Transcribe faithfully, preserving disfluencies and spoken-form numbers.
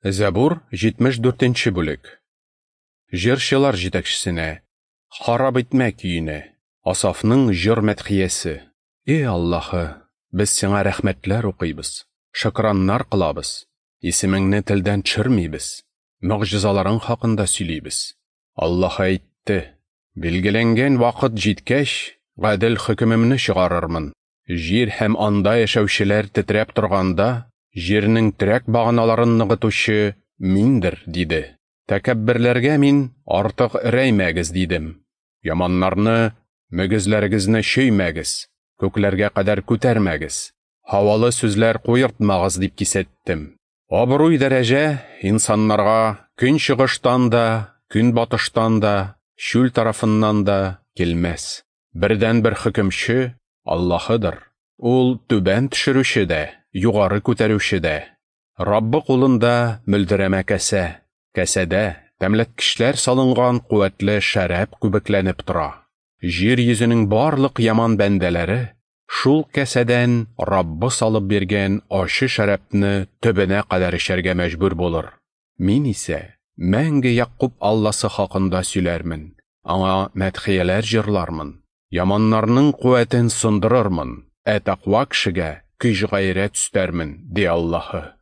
Зәбур җитмеш дүртенче бүлек. Җырчылар җитәкчесенә, харап итмә көенә, Асафның җыр мәдхиясе. Эй Аллаһы, без сиңа рәхмәтләр укыйбыз, шөкраннар кылабыз, исемеңне телдән төшермибез, могҗизаларың хакында сөйлибез. Аллаһы әйтте: билгеләнгән вакыт җиткәч, гадел хөкемемне чыгарырмын. Җир һәм анда яшәүчеләр тетрәп торганда, җирнең терәк баганаларын ныгытучы миндер, диде. Тәкәбберләргә мин артык эрәймәгез, дидем. Яманнарны мөгезләрегезне чөймәгез, күкләргә кадәр күтәрмәгез, һавалы сүзләр куертмагыз дип кисәттем. Абруй дәрәҗә инсаннарга көнчыгыштан да, көнбатыштан да, чүл тарафыннан да килмәс. Бердәнбер хөкемче Аллаһыдыр. Ул түбән төшерүче дә, югары күтәрүче дә. Раббы кулында мөлдерәмә кәсә, кәсәдә тәмләткечләр салынган куәтле шәраб күбекләнеп тора. Җир йөзенең барлык яман бәндәләре шул кәсәдән Раббы салып биргән ачы шәрабны төбенә кадәр эчәргә мәҗбүр булыр. Мин исә мәңге Якуб Алласы хакында сөйләрмен, аңа мәдхияләр җырлармын. Яманнарның куәтен сындырырмын, ә тәкъва кешегә көч-гайрәт өстәрмен, ди Аллаһы.